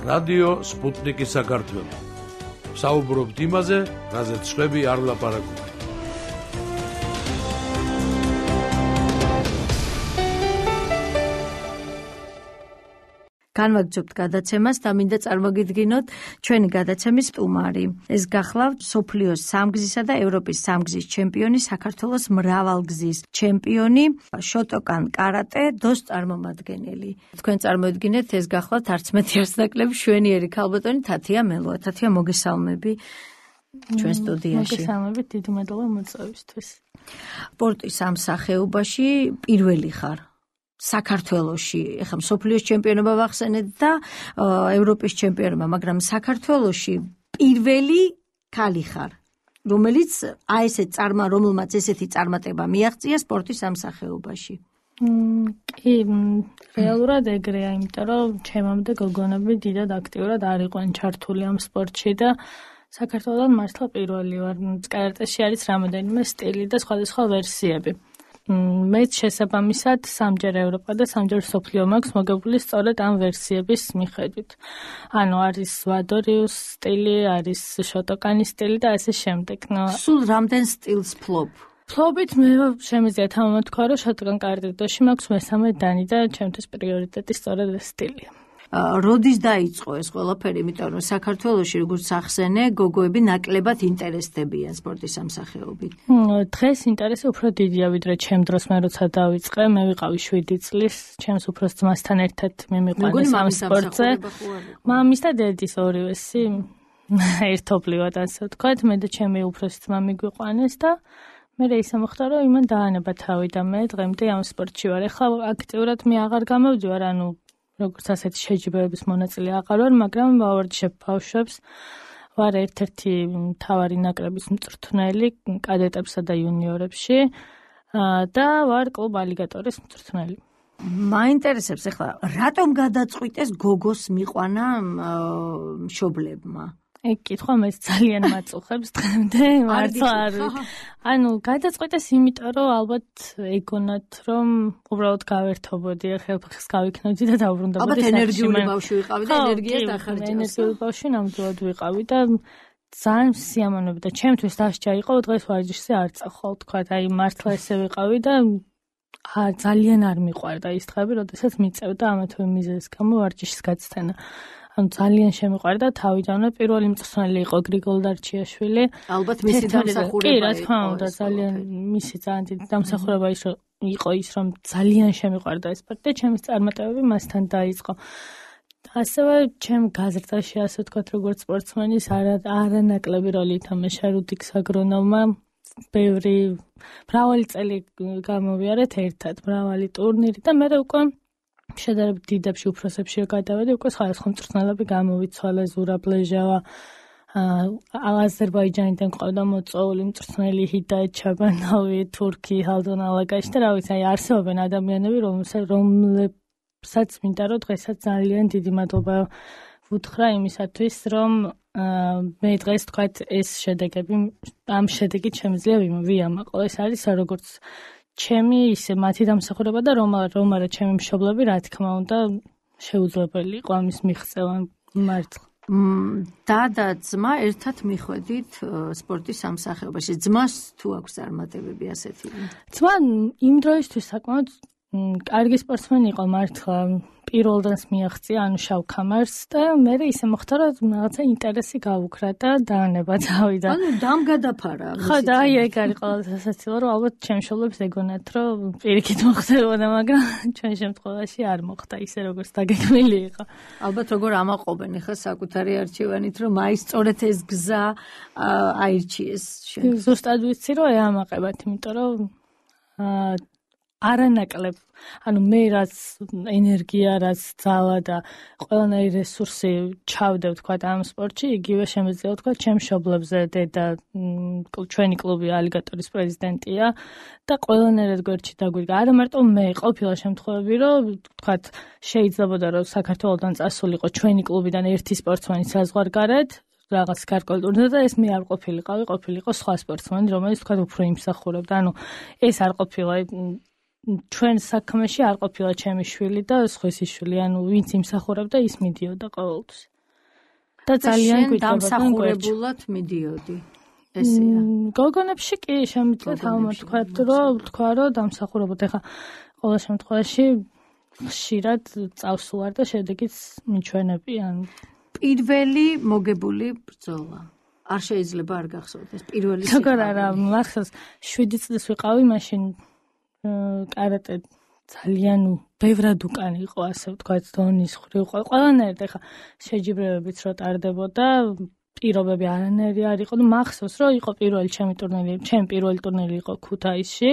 რადიო სპუტნიკი საქართველო. საუბრობთ იმაზე, რაზეც სხვები არ ლაპარაკობენ. განვაგრძობთ გადაცემას და მინდა წარმოგიდგინოთ ჩვენი გადაცემის სტუმარი. ეს გახლავთ სოფლიოს სამგზისა და ევროპის სამგზის ჩემპიონი, საქართველოს მრავალგზის ჩემპიონი, შოტოკან კარატე დოს წარმომადგენელი. თქვენ წარმოედგინეთ, ეს გახლავთ არც მეტი არც ნაკლები შვენიერი ქალბატონი თათია მელოა. თათია, მოგესალმები ჩვენ სტუდიაში. მოგესალმებით, დიდი მადლობა მოწვევისთვის. სპორტის ამ სახეობაში პირველი ხარ საქართველოში, ეხლა მსოფლიოს ჩემპიონობა ვახსენეთ და ევროპის ჩემპიონობა, მაგრამ საქართველოში პირველი ქალი ხარ, რომელიც რომელმაც ესეთი წარმატება მიაღწია სპორტის ამ სახეობაში. კი, რეალურად ეგრეა, იმიტომ რომ ჩემამდე გოგონები დიდად აქტიურად არ იყვნენ ჩართული ამ სპორტში და საქართველოს მართლა პირველი ვარ. კარატეში არის რამოდენიმე სტილი და სხვადასხვა ვერსიები. მეც შესაბამისად სამჯერ ევროპა და სამჯერ მსოფლიო მაქვს მოგებული სწორედ ამ ვერსიების მიხედვით. ანუ არის ვადორიუს სტილი, არის შოტოკანის სტილი და ასე შემდეგ. სულ რამდენ სტილს ფლობ? ფლობით მე შემიძლია თამამთქვა, რომ შოტოკან კარატეში მაქვს მესამე დანი და ჩემთვის პრიორიტეტი სწორედ ეს სტილია. როდის დაიწყო ეს ყველაფერი, იმიტომ რომ საქართველოში როგორც ახსენე, გოგოები ნაკლებად ინტერესდებიან სპორტის ამ სახეობით. დღეს ინტერესი უფრო დიდია ვიდრე ჩემ დროს მე როცა დავიწყე, მე ვიყავი 7 წლის, ჩემს უფროს ძმასთან ერთად მე მიყვანეს ამ სპორტზე. მამის და დედის ორივესი ერთობლივად ასე ვთქვათ, მე და ჩემი უფროსი ძმა მიგვიყვანეს და მე ისე მოხდა, რომ იმან დაანება თავი და მე დღემდე ამ სპორტში ვარ. ეხლა აქტიურად მე აღარ გამოვდივარ, ანუ როგორც ასეთი შეჯიბრების მონაწილე აღარ ვარ, მაგრამ ვავარჯიშებ ბავშვებს, ვარ ერთ-ერთი მთავარი ნაკრების მწვრთნელი კადეტებსა და იუნიორებში და ვარ კლუბ ალიგატორის მწვრთნელი. მაინტერესებს ახლა, რატომ გადაწყვიტეს გოგოს მიყვანა მშობლებმა? ეგ კითხვა მეც ძალიან მაწუხებს დღემდე, მართლა არ ვიცი. ანუ გადაწყვეტეს იმიტომ, რომ ალბათ ეგონათ, რომ უბრალოდ გავერთობოდი, ხელფეხს გავიქნოდი და დავბრუნდებოდი. ალბათ ენერგიული ბავშვი ვიყავი და ენერგიას დახარჯავს. ენერგიული ბავშვი ნამდვილად ვიყავი და ძალიან სიამოვნებდა და ჩემთვის დასჯა იყო დღეს ვარჯიშზე არ წახვალ, თქვა, აი მართლა ესე ვიყავი და ძალიან არ მიყვარდა ის დღეები, როდესაც მიწევდა ამა თუ იმ მიზეზის გამო ვარჯიშის გაცდენა. ანუ ძალიან შემიყვარდა თავიდანვე. პირველი მწვრთნელი იყო გრიგოლ დარჩიაშვილი. ალბათ მისი დამსახურება იყო. კი, რა თქმა უნდა, ძალიან მისი ძალიან დიდი დამსახურება იყო ის, რომ ძალიან შემიყვარდა ეს სპორტი და ჩემი წარმატებები მასთან დაიწყო. ასევე ჩემ გაზრდაში, ასე ვთქვათ, როგორც სპორტსმენის არანაკლები როლი ითამაშა რუდიქს აგრონოვმა. მრავალი წელი გამოვიარეთ ერთად, მრავალი ტურნირი და მე უკვე შედარებით დიდებში უფროსებში გადავედი, უკვე სხვადასხვა მწვრთნელები გამოვიცვალე, ზურაბ ლეჟავა, აზერბაიჯანიდან ყავდა მოწვეული მწვრთნელი ჰიდაეთ ჩაბანოვი, თურქი ჰალდონ ალაგაში და რა ვიცი, აი არსებობენ ადამიანები, რომლებსაც მინდა რომ დღესაც ძალიან დიდი მადლობა ვუთხრა იმისათვის, რომ მე დღეს თქვათ ეს შედეგები, ამ შედეგით შემიძლია ვიამაყო. ეს არის როგორც ჩემი ისე მათი დამსახურება და რომ არა ჩემი მშობლები, რა თქმა უნდა, შეუძლებელი იყო ამის მიღწევა მართლა. და ძმა ერთად მიხვედით სპორტის ამ სახეობაში. ძმას თუ აქვს წარმატებები ასეთი? ძმა იმ დროისთვის საკმაოდ კარგი სპორტსმენი იყო მართლა. პირველდანს მიაღწია, ანუ შავ ქამარს და მე ისე მოხდა, რომ რაღაცა ინტერესი გავუქრა და დაანება თავიდან. ანუ დამგადაფარა. ხო, და აი ეგ არის ყველაზე სასაცილო, რომ ალბათ ჩემ მშობლებს ეგონათ, რომ პირიქით მოხდებოდა, მაგრამ ჩვენ შემთხვევაში არ მოხდა ისე, როგორც დაგეგმილი იყო. ალბათ როგორ ამაყობენ ახლა საკუთარი არჩევანით, რომ აი სწორედ ეს გზა აირჩიეს შენ. ზუსტად ვიცი, რომ ეამაყებათ, იმიტომ რომ არანაკლებ, ანუ მე რაც ენერგია, რაც ძალა და ყველანაირი რესურსი ჩავდე ვთქვათ ამ სპორტში, იგივე შემიძლია ვთქვათ ჩემ მშობლებზე. დედა ჩვენი კლუბი ალიგატორის პრეზიდენტია და ყველანაირად გვერდში დაგვიგა. არა მარტო მე, ყოფილა შემთხვევები, რომ ვთქვათ შეიძლებოდა რომ საქართველოსთან წასულიყო ჩვენი კლუბიდან ერთი სპორტსმენი საზღვარგარეთ, რაღაც გარკვეულ ტურნირზე და ეს მე არ ყოფილიყო სხვა სპორტსმენი, რომელიც ვთქვათ უფრო იმსახურებდა. ანუ ეს არ ყოფილა ჩვენ საქმეში არ ყოფილა ჩემი შვილი და სხვისი შვილი, ანუ ვინც იმსახურებდა ის მიდიოდა ყოველთვის. და ძალიან გვიჭრებოდნენ დამსახურებულად მიდიოდი. ესეა. გოგონებში კი შემიძლია თქვა რომ დამსახურებოდ ეხა ყოველ შემთხვევაში ხშირად წავსუარ და შედეგიც მიჩვენებიან. პირველი მოგებული ბრძოლა. არ შეიძლება არ გახსოვდეს პირველი როგორ არა მახსოვს 7 წლის ვიყავი მაშინ კარატე ძალიან ბევრად უკან იყო ასე ვთქვათ დონის ხრივ ყველანაირად ეხა შეჯიბრებებიც რო ტარდებოდა პირობები არანაირი არ იყო და მახსოვს რომ იყო ჩემი პირველი ტურნირი იყო ქუთაისში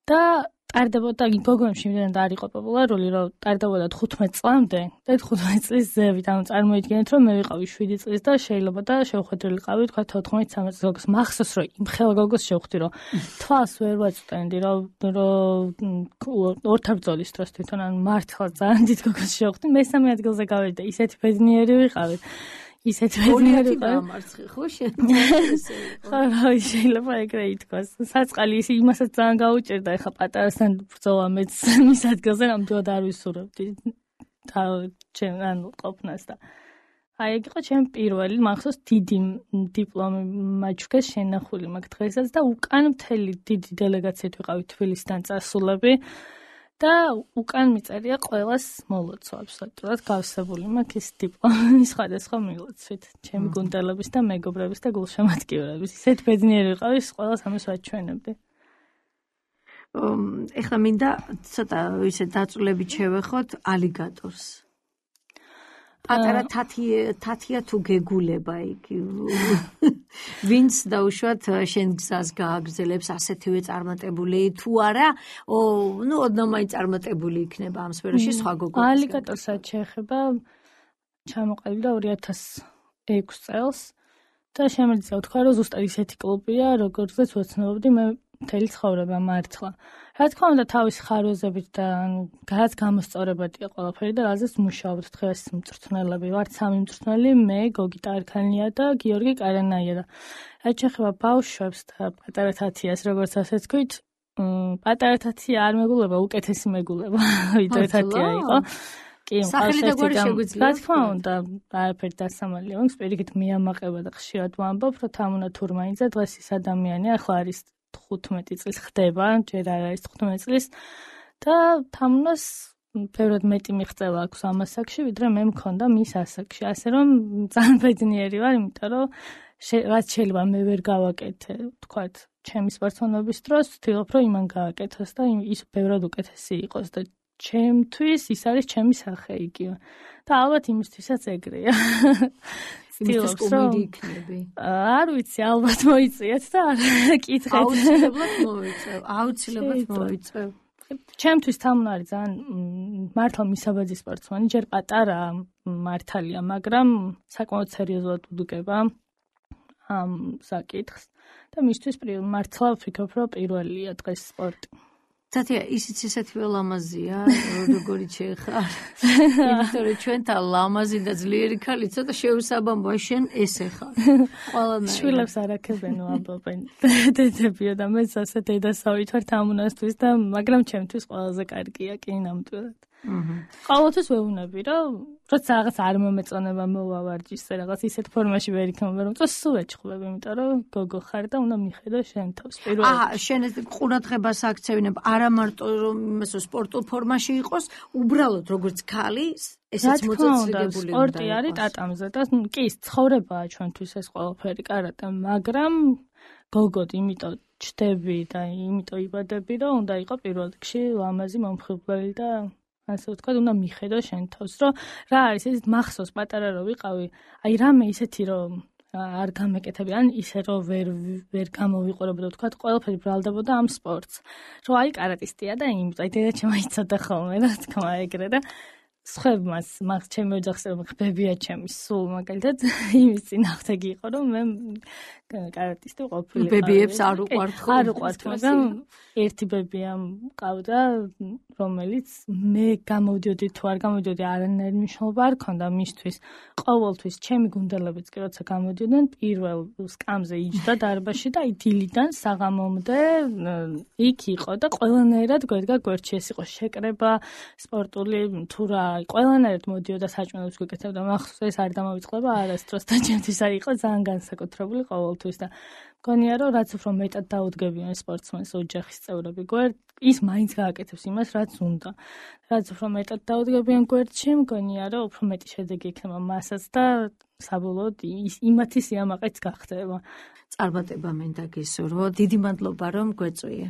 და ტარდებოდა გოგონებში იმდენად არ იყო პოპულარული რომ ტარდებოდა 15 წლამდე და 15 წლის ზევით ანუ წარმოიდგინეთ რომ მე ვიყავი 7 წლის და შეიძლება და შევხვედრილიყავი თქვა 14-13 წლის მახსოვს რომ იმ ხელ გოგოს შევხვდი რომ თვალს ვერ ვაწვდენდი რომ ორთაბრძოლის დროს თვითონ ან მართლა ძალიან დიდ გოგოს შევხვდი მესამე ადგილზე გავედი და ისეთი ბედნიერი ვიყავი ისეთი ბედნიერი დამარცხე ხო შეიძლება ეგრე ითქვას საწყალი ის იმასაც ძალიან გაუჭირდა ეხა პატარასთან ბრძოლა მეც მის ადგილზე ნამდვილად არ ვისურვებდი ანუ ყოფნას და აი ეგ იყო ჩემი პირველი მახსოვს დიდი დიპლომი მაჩვქეს შენახული მაგ დღესაც და უკან მთელი დიდი დელეგაციით ვიყავი თბილისიდან წასულები და უკან მიწერია ყველას მოლოცვა აბსოლუტურად გავსებული მაქვს ის დიპლომი სხვადასხვა მილოცვით ჩემი გუნდელების და მეგობრების და გულშემატკივრების ისეთ ბედნიერი ვიყავი ყველას ამას ვაჩვენებდი ეხლა მინდა ცოტა ისე დაწვრილებით შევეხოთ ალიგატორს პატარა თათია თუ გეგულება იქ ვინც დაუშვათ შენ გზას გააგრძელებს ასეთივე წარმატებული თუ არა ნუ ოდნავ წარმატებული იქნება ამ სფეროში სხვა გოგონები ალიგატორსაც შეეხება ჩამოყალიბდა 2006 წელს და შემიძლია ვთქვა რომ ზუსტად ისეთი კლუბია როგორზეც ვეცნობდი მე მთელი ცხოვრება მართლა რა თქმა უნდა თავის ხარვეზებით და რაც გამოსწორებადია ყველაფერი და რაზეც მუშაობთ დღეს მწვრთნელები ვართ სამი მწვრთნელი მე გოგი ტარქანია და გიორგი კარანაია და რაც შეეხება ბავშვებს და პატარა თათიას როგორც ასე თქვით პატარა თათია არ მეგულება უკეთესი მეგულება ვიდრე თათია იყო კი სახელი და გვარი შეგვიძლია რა თქმა უნდა არაფერი დასამალია მაქვს პირიქით მიამაყება და ხშირად ვამბობ რომ თამუნა თურმაინიძე დღეს ის ადამიანია ახლა არის 15 წლის ხდება, ჯერ არ არის 15 წლის და თამუნას ბევრად მეტი მიღწევა აქვს ამ ასაკში, ვიდრე მე მქონდა მის ასაკში. ასე რომ ძალიან ბედნიერი ვარ, იმიტომ რომ რაც შეიძლება მე ვერ გავაკეთე, თქვათ, ჩემი სპორტსმენობის დროს, ვთქვი, რომ იმან გააკეთოს და ის ბევრად უკეთესი იყოს და ჩემთვის ის არის ჩემი სახე იგივე. და ალბათ იმისთვისაც ეგრეა. იმისთვის კომედი იქნები. არ ვიცი, ალბათ მოიწიეთ და არ კითხეთ. აუცილებლად მოიწევ. ჩემთვის თამუნა არის ძალიან მართლა მისაბაძი სპორტსმენი, ჯერ პატარა მართალია, მაგრამ საკმაოდ სერიოზულად უდუგება ამ საკითხს და მისთვის მართლა ვფიქრობ, რომ პირველია დღეს სპორტი. თათია, ისიც ისეთივე ლამაზია, როგორიც შეეხარ. იმიტომ რომ ჩვენთან ლამაზი და ძლიერი ქალი ცოტა შეუსაბამოა, შენ ესე ხარ. ყველანაირად. შვილებს არ აქებენო ამბობენ. დედებიო და მეც ასე დედასავით ვარ თამუნასთვის და მაგრამ ჩემთვის ყველაზე კარგია კი ნამდვილად. ყოველთვის ვეუბნები, რომ როცა რაღაც არ მომეწონება მოვავარჯიშე რაღაც ისეთ ფორმაში ვერ იქნება, რომ სულ ეჭხლები, იმიტომ რომ გოგო ხარ და უნდა მიხედო შენ თავს პირველად. შენ ეს ყურადღებას აქცევინებ არა მარტო რომ იმასო სპორტულ ფორმაში იყოს, უბრალოდ როგორც ქალი, ესეც მოწესრიგებული უნდა. სპორტი არის ტატამზე და კი, ცხოვრებაა ჩვენთვის ეს ყველაფერი კარატე, მაგრამ გოგოდ იმიტომ ჩდები და იმიტომ იბადები, რომ უნდა იყო პირველ რიგში ლამაზი მომხიბვლელი და ასე ვთქვათ, უნდა მიხედო შენ თავს, რომ რა არის ეს მახსოვს პატარა რო ვიყავი, აი რამე ისეთი რომ არ გამეკეთები, ან ისე რომ ვერ გამოვიყურებოდა, ვთქვათ, ყველაფერი ბრალდებოდა ამ სპორტს. რომ აი კარატისტია და იმიტომ აი დედა შემოიცოდა ხოლმე, რა თქმა ეგრე და სხვებმაც მაგ ჩემი ოჯახს ხბებია ჩემი სულ მაგალითად იმის წინააღმდეგი იყო რომ მე კარატისტი ყოფილიყავი. ბებიებს არ უყვართ ხო? არ უყვართ, მაგრამ ერთი ბებია მყავდა, რომელიც მე გამოვდიოდი თუ არ გამოვდიოდი არანაირი მნიშვნელობა არ ქონდა მისთვის. ყოველთვის ჩემი გუნდელებიც კი როცა გამოდიოდნენ პირველ სკამზე იჯდა დარბაზში და დილიდან საღამომდე იქ იყო და ყველანაირად გვერდ-გვერდში ეს იყო შეკრება სპორტული თუ რა ყველანაირად მოდიოდა საჭმელებს გვეკეთებდა, მახსოვს ეს არ დამოვიწყდება არასდროს და ჩემთვის არ იყო ძალიან განსაკუთრებული ყოველთვის და მგონია რომ რაც უფრო მეტად დაუდგებიან სპორტსმენს ოჯახის წევრები გვერდ ის მაინც გააკეთებს იმას რაც უნდა. რაც უფრო მეტად დაუდგებიან გვერდში მგონია რომ უფრო მეტი შედეგი იქნება მასაც და საბოლოოდ იმათი სიამაყეც გახდება. წარმატება მინდა გისურვო. დიდი მადლობა რომ გვეწვიე.